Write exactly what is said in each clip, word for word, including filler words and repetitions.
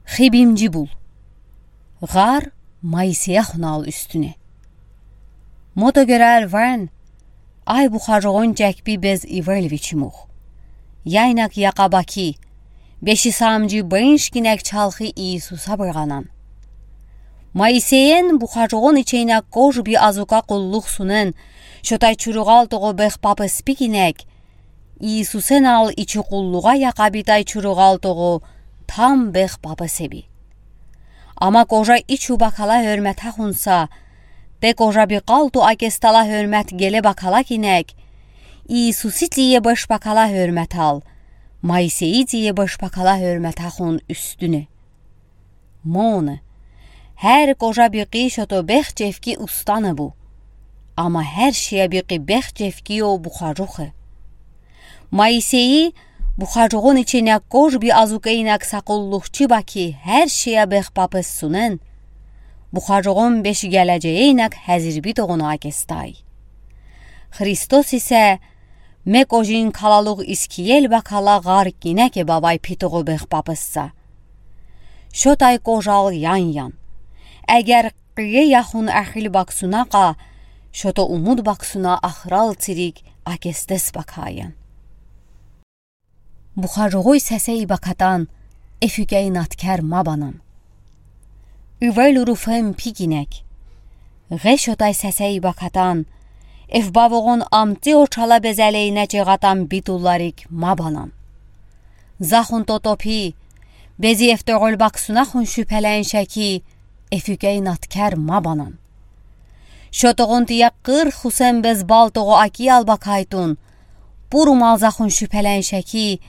Хыбимжи бул. Ğar Моисеяхунал уьстюне. Мото герал варн, ай бухажугъун чекби без ивел вичимух. Яйнак яка баки, беши самжи бынш гинек чалхы Иисуса быргъанан. Моисеен бухажугъун ичейнек кожби азука къуллух сунен, шотай чуругъал тогъо бехпапес пигинек, Иисусенал ичи къуллугъа яка битай чуругъал тогъо там бехпапес эби. Ама кожа ичу бакала хёрметахун са, те кожа бикъалту акестала хёрмет геле бакала гинек, Иисуси тие беш бакала хёрметал, Моисеи тие беш бакала хёрметахун уьстюне. Моне, хер кожа бикъи шото бех чевки устане бу. Ама хер шея бикъи бех чевки о бухажухе. Моисеи бухажугъун ичейнек кожби азука инек са къуллухчи баки хер шея бехпапес сунен, бухажугъун беш гележеи инек хезирби тогъуна акестай. Христос исе ме кожин калалугъ искиел бакала ğar гинеке бавай пи тогъо бехпапес са. Шотай кожал ян-ян. Эгер къие яхун эхил баксуна къа, шото умуд баксуна ахрал цирик акестес бакаян. Бухажугъуй сесе ибакатан эфюкей наткер ма банан. Ивел уруфем пигинек. Гъе шотай сесе ибакатан, эф бавугъун амти очала безелейне чегъатан битуларик ма банан. Захун тотопи, бези эф тогъол баксунахун шуьпелен шеки, эфюкей наткер ма банан. Шотогъун тие къыр хусен без бал тогъо акиял бакайтун, пурумал захун шуьпелен шеки,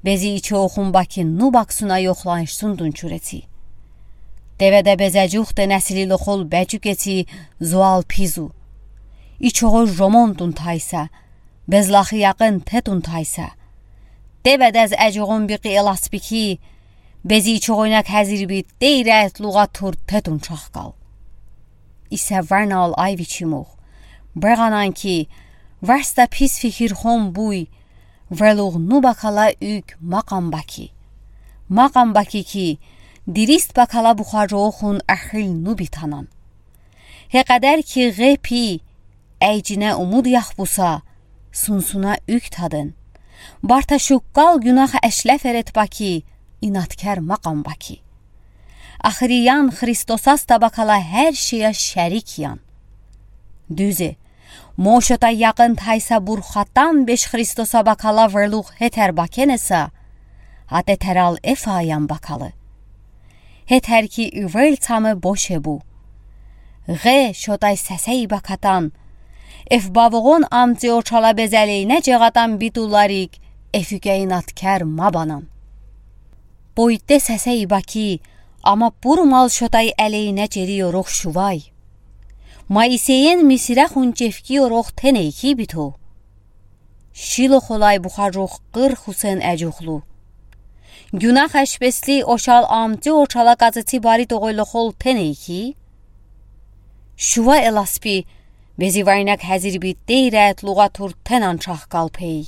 бези ичоохун баки ну баксуна йохланшсундун чурети. Теведе безежух те несили лохол бечукети зуал пизу. Ичоохой жомонтун тайса, безлахи якъын тетун тайса. Теведез эжугъун бикъи эласпики, бези ичоохойнек хезирби тейрет лугъа тур тетун чахкал. Исе варнал ай вичимух. Быргъанан ки, варста пис фикирхон буй, врелугъ ну бакала уьк макъам баки. Макъам баки ки, дирист бакала бухажуохун эхил ну битанан. Хекъедер ки гъе пи, эйчине умуд яхбуса, сунсуна уьк таден. Барта шуккал гюнах эшле ферет баки, инаткер макъам баки. Ахыриян Христосас та бакала хер шея шерик ян. Дуьзе, мо шота якъын тайса бурхатан беш Христоса бакала врелугъ хетер бакенеса, а тетерал эф аян бакалы. Хетер ки ивел цаме боше бу. Гъе шотай сесе ибакатан, эф бавугъун амти очала безелейне чегъатан битуларик, эфюкей инаткер ма банан. Пойте сесе ибаки, ама пурумал шотай элейне чери ёрух шувай. Моисеен Мисирахун чевки ёрух тенейки бито. Шилохолай бухажух къыр хусен эжухлу. Гюнах эшпесли ошал амти очала къацети бари тогъойлохол тенейки. Шува эласпи, бези вайнак хезирби тейрет лугъа тур тенан чахкал пей.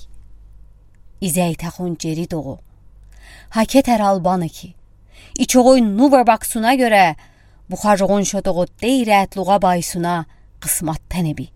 Изейтахун чери тогъо. Хакетерал баныки. Ичогъой нувар баксуна гёре, бухажугъун шотогъо тейрет лугъа байсуна къысмат тенеби.